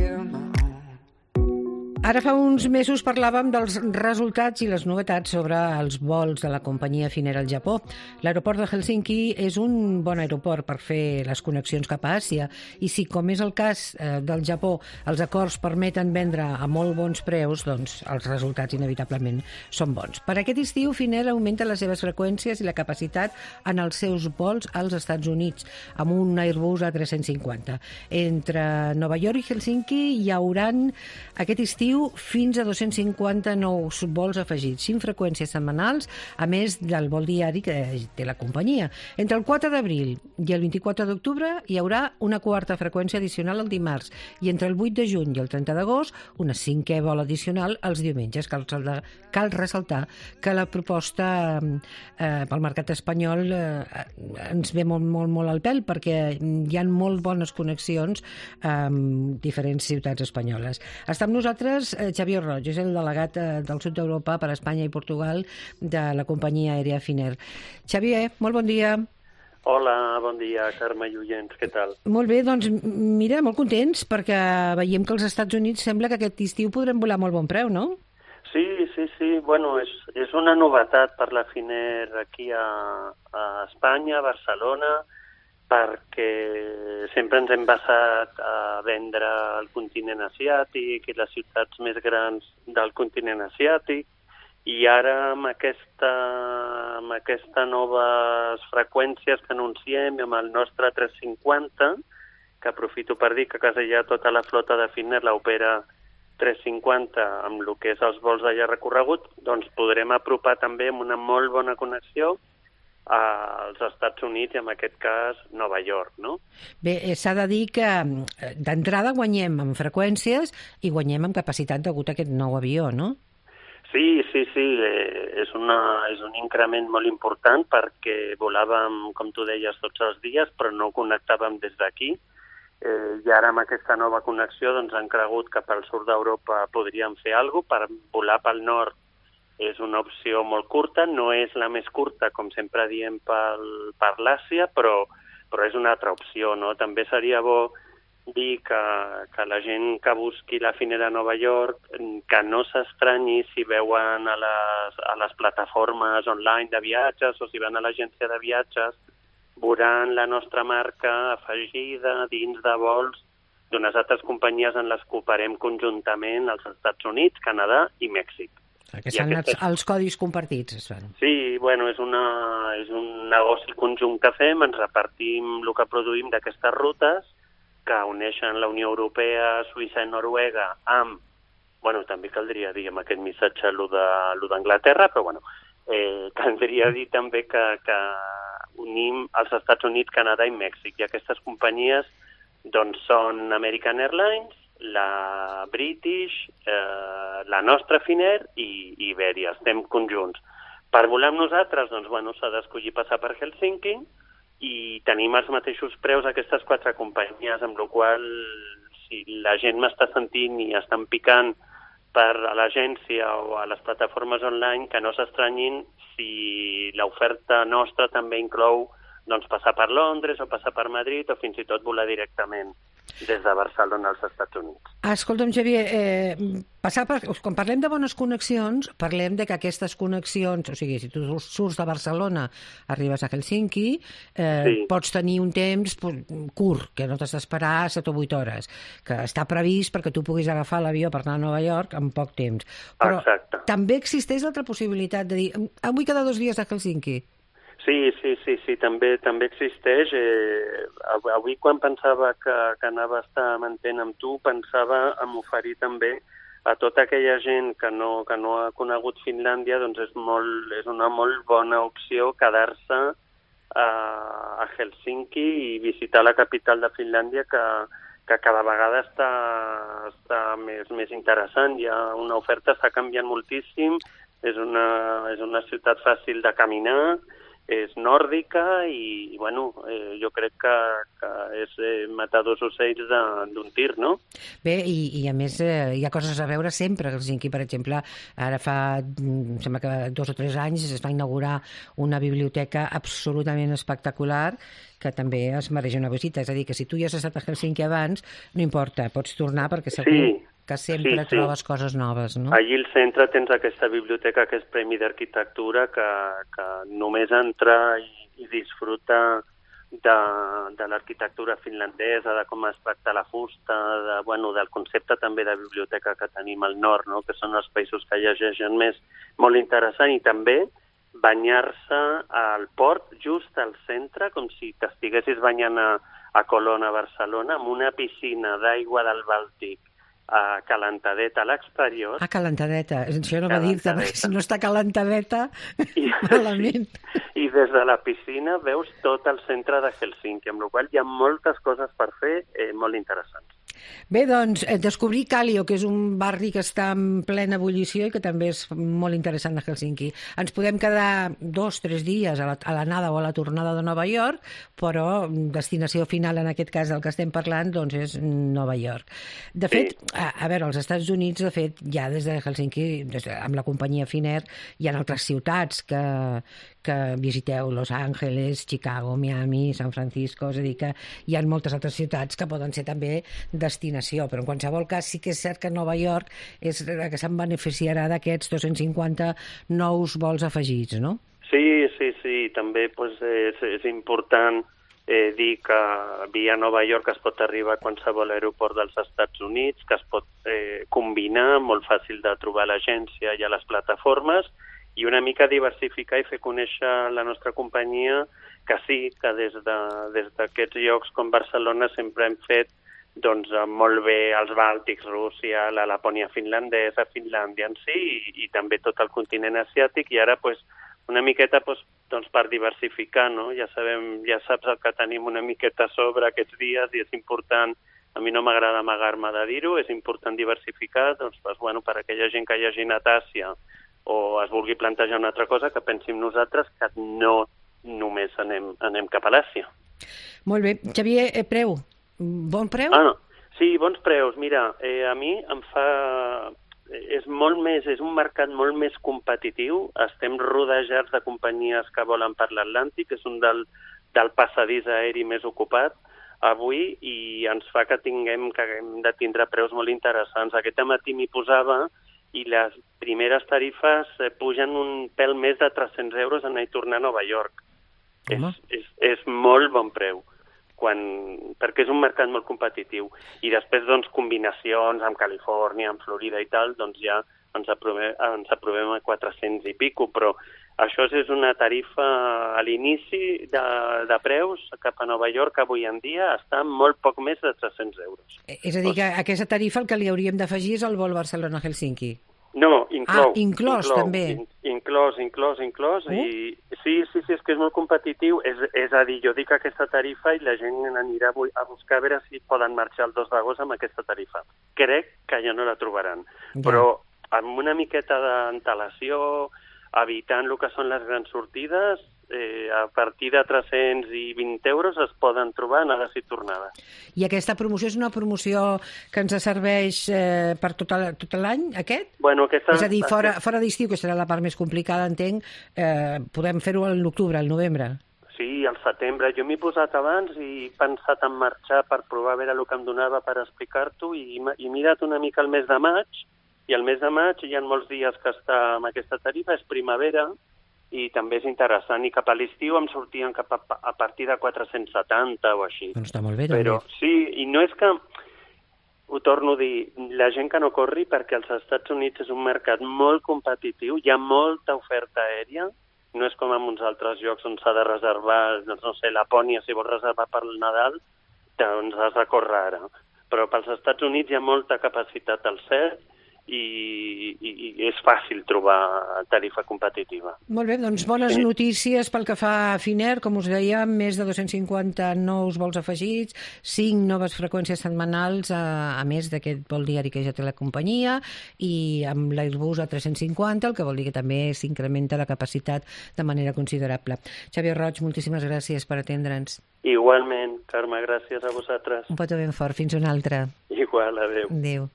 feel my own. Ara fa uns mesos parlàvem dels resultats i les novetats sobre els vols de la companyia Finnair al Japó. L'aeroport de Helsinki és un bon aeroport per fer les connexions cap a Àsia i si, com és el cas del Japó, els acords permeten vendre a molt bons preus, doncs els resultats inevitablement són bons. Per aquest estiu, Finnair augmenta les seves freqüències i la capacitat en els seus vols als Estats Units, amb un Airbus A350. Entre Nova York i Helsinki hi hauran aquest estiu fins a 250 nous vols afegits, 5 freqüències setmanals, a més del vol diari que té la companyia. Entre el 4 d'abril i el 24 d'octubre hi haurà una quarta freqüència addicional el dimarts i entre el 8 de juny i el 30 d'agost una cinquè vol addicional els diumenges. Cal ressaltar que la proposta pel mercat espanyol ens ve molt al pèl perquè hi ha molt bones connexions amb diferents ciutats espanyoles. Està amb nosaltres Xavier Roig, és el delegat del sud d'Europa per a Espanya i Portugal de la companyia aèria Finnair. Xavier, molt bon dia. Hola, bon dia, Carme i oients, què tal? Molt bé, doncs mira, molt contents perquè veiem que als Estats Units sembla que aquest estiu podrem volar a molt bon preu, no? Sí, bueno, és una novetat per la Finnair aquí a Espanya, a Barcelona, perquè sempre ens hem basat a vendre al continent asiàtic i les ciutats més grans del continent asiàtic i ara amb aquestes noves freqüències que anunciem amb el nostre 350, que aprofito per dir que a casa ja tota la flota de Finnair l'opera 350 amb el que és els vols de llarg recorregut, doncs podrem apropar també amb una molt bona connexió als Estats Units i en aquest cas Nova York, no? Bé, s'ha de dir que d'entrada guanyem en freqüències i guanyem en capacitat degut a aquest nou avió, no? Sí, és un increment molt important perquè volàvem, com tu deies, tots els dies, però no connectàvem des d'aquí. I ara amb aquesta nova connexió doncs, han cregut que pel sud d'Europa podríem fer alguna cosa per volar pel nord. És una opció molt curta, no és la més curta, com sempre diem, per l'Àsia, però és una altra opció, no? També seria bo dir que la gent que busqui la Finnair a Nova York, que no s'estranyi si veuen a les plataformes online de viatges o si van a l'agència de viatges, veuran la nostra marca afegida dins de vols d'unes altres companyies en les que operem conjuntament als Estats Units, Canadà i Mèxic. Que són els codis compartits, es fan. Sí, bueno, és un negoci conjunt que fem, ens repartim el que produïm d'aquestes rutes que uneixen la Unió Europea, Suïssa i Noruega amb, bueno, també caldria dir amb aquest missatge lo d'Anglaterra, però bueno, caldria dir també que unim els Estats Units, Canadà i Mèxic, i aquestes companyies doncs són American Airlines, la British, la nostra Finnair i Iberia, estem conjunts. Per volar amb nosaltres, doncs, bueno, s'ha d'escollir passar per Helsinki i tenim els mateixos preus aquestes 4 companyies, amb la qual si la gent m'està sentint i estan picant per a l'agència o a les plataformes online, que no s'estranyin si l'oferta nostra també inclou doncs, passar per Londres o passar per Madrid o fins i tot volar directament des de Barcelona als Estats Units. Escolta'm, Xavier, quan parlem de bones connexions, parlem de que aquestes connexions, o sigui, si tu surts de Barcelona, arribes a Helsinki, pots tenir un temps curt, que no t'has d'esperar 7 o 8 hores, que està previst perquè tu puguis agafar l'avió per anar a Nova York en poc temps. Però també existeix l'altra possibilitat de dir, vull quedar 2 dies a Helsinki. Sí, també existeix. Avui, quan pensava que anava a estar mantent amb tu, pensava en oferir també a tota aquella gent que no ha conegut Finlàndia, doncs és una molt bona opció quedar-se a Helsinki i visitar la capital de Finlàndia, que cada vegada està més interessant. Hi ha una oferta, està canviant moltíssim, és una ciutat fàcil de caminar, és nòrdica i bueno, jo crec que és matar dos ocells d'un tir, no? Bé, i a més hi ha coses a veure sempre. Helsinki, per exemple, ara sembla que 2 o 3 anys es va inaugurar una biblioteca absolutament espectacular que també es mereix una visita. És a dir, que si tu ja has estat a Helsinki abans, no importa, pots tornar perquè segur que sempre trobes coses noves, no? Allí al centre tens aquesta biblioteca que és Premi d'Arquitectura que només entra i disfruta de l'arquitectura finlandesa, de com es tracta la fusta, del concepte també de biblioteca que tenim al nord, no? Que són els països que llegeixen més, molt interessant, i també banyar-se al port just al centre, com si t'estiguessis banyant a Colón, a Barcelona, amb una piscina d'aigua del Bàltic calentadeta a l'exterior. Calentadeta. Això no va dir-te, perquè si no està calentadeta, malament. I des de la piscina veus tot el centre de Helsinki, amb la qual hi ha moltes coses per fer molt interessants. Bé, doncs, descobrir Kallio, que és un barri que està en plena ebullició i que també és molt interessant a Helsinki. Ens podem quedar 2 o 3 dies a l'anada o a la tornada de Nova York, però destinació final, en aquest cas del que estem parlant, doncs és Nova York. De fet, a veure, als Estats Units, de fet, ja des de Helsinki, amb la companyia Finnair, hi ha altres ciutats que visiteu, Los Angeles, Chicago, Miami, San Francisco, és a dir, que hi ha moltes altres ciutats que poden ser també destinació, però en qualsevol cas sí que és cert que Nova York és la que se'n beneficiarà d'aquests 250 nous vols afegits, no? Sí, també és important dir que via Nova York es pot arribar a qualsevol aeroport dels Estats Units, que es pot combinar, molt fàcil de trobar a l'agència i a les plataformes, i una mica diversificar i fer conèixer la nostra companyia, que sí, que des d'aquests llocs com Barcelona sempre hem fet molt bé els Bàltics, Rússia, la Lapònia finlandesa, Finlàndia en si, i també tot el continent asiàtic, i ara una miqueta per diversificar, no? Ja saps el que tenim una miqueta a sobre aquests dies, i és important, a mi no m'agrada amagar-me de dir-ho, és important diversificar, per aquella gent que hagi anat a Àsia o es vulgui plantejar una altra cosa, que pensi en nosaltres, que no només anem cap a l'Àsia. Molt bé. Xavier, preu? Bon preu? No. Sí, bons preus. Mira, a mi em fa... És un mercat molt més competitiu. Estem rodejats de companyies que volen per l'Atlàntic, és un del passadís aeri més ocupat avui, i ens fa que hem de tindre preus molt interessants. Aquest matí m'hi posava i les primeres tarifes pugen un pèl més de 300 euros anar i tornar a Nova York. És molt bon preu, perquè és un mercat molt competitiu. I després, combinacions amb Califòrnia, amb Florida i tal, ja ens aprovem a 400 i pico, però això és una tarifa a l'inici de preus cap a Nova York, que avui en dia està molt poc més de 300 euros. És a dir, que a aquesta tarifa el que li hauríem d'afegir és el vol Barcelona-Helsinki. No, inclou. Inclòs, també. Inclòs. I sí, és que és molt competitiu. És a dir, jo dic aquesta tarifa i la gent anirà a buscar a veure si poden marxar el 2 d'agost amb aquesta tarifa. Crec que ja no la trobaran. Ja. Però amb una miqueta d'antelació, evitant el que són les grans sortides, a partir de 320 euros es poden trobar anades i tornades. I aquesta promoció és una promoció que ens serveix per tot l'any, aquest? Bueno, és a dir, fora d'estiu, que serà la part més complicada, entenc, podem fer-ho a l'octubre, al novembre? Sí, al setembre. Jo m'he posat abans i he pensat en marxar per provar a veure el que em donava per explicar-t'ho, i he mirat una mica el mes de maig, i el mes de maig hi ha molts dies que està amb aquesta tarifa, és primavera, i també és interessant, i cap a l'estiu em sortien a partir de 470 o així. Doncs està molt bé, però també. Sí, i no és que, ho torno a dir, la gent que no corri, perquè als Estats Units és un mercat molt competitiu, hi ha molta oferta aèria, no és com en uns altres llocs on s'ha de reservar, no sé, Lapònia, si vols reservar per el Nadal, doncs has de córrer ara. Però pels Estats Units hi ha molta capacitat al CERT, i és fàcil trobar tarifa competitiva. Molt bé, doncs bones notícies pel que fa a Finnair, com us deia, més de 250 nous vols afegits, 5 noves freqüències setmanals, a més d'aquest vol diari que ja té la companyia, i amb l'Airbus A350, el que vol dir que també s'incrementa la capacitat de manera considerable. Xavier Roig, moltíssimes gràcies per atendre'ns. Igualment, Carme, gràcies a vosaltres. Un petó ben fort, fins una altra. Igual, adeu. Adéu.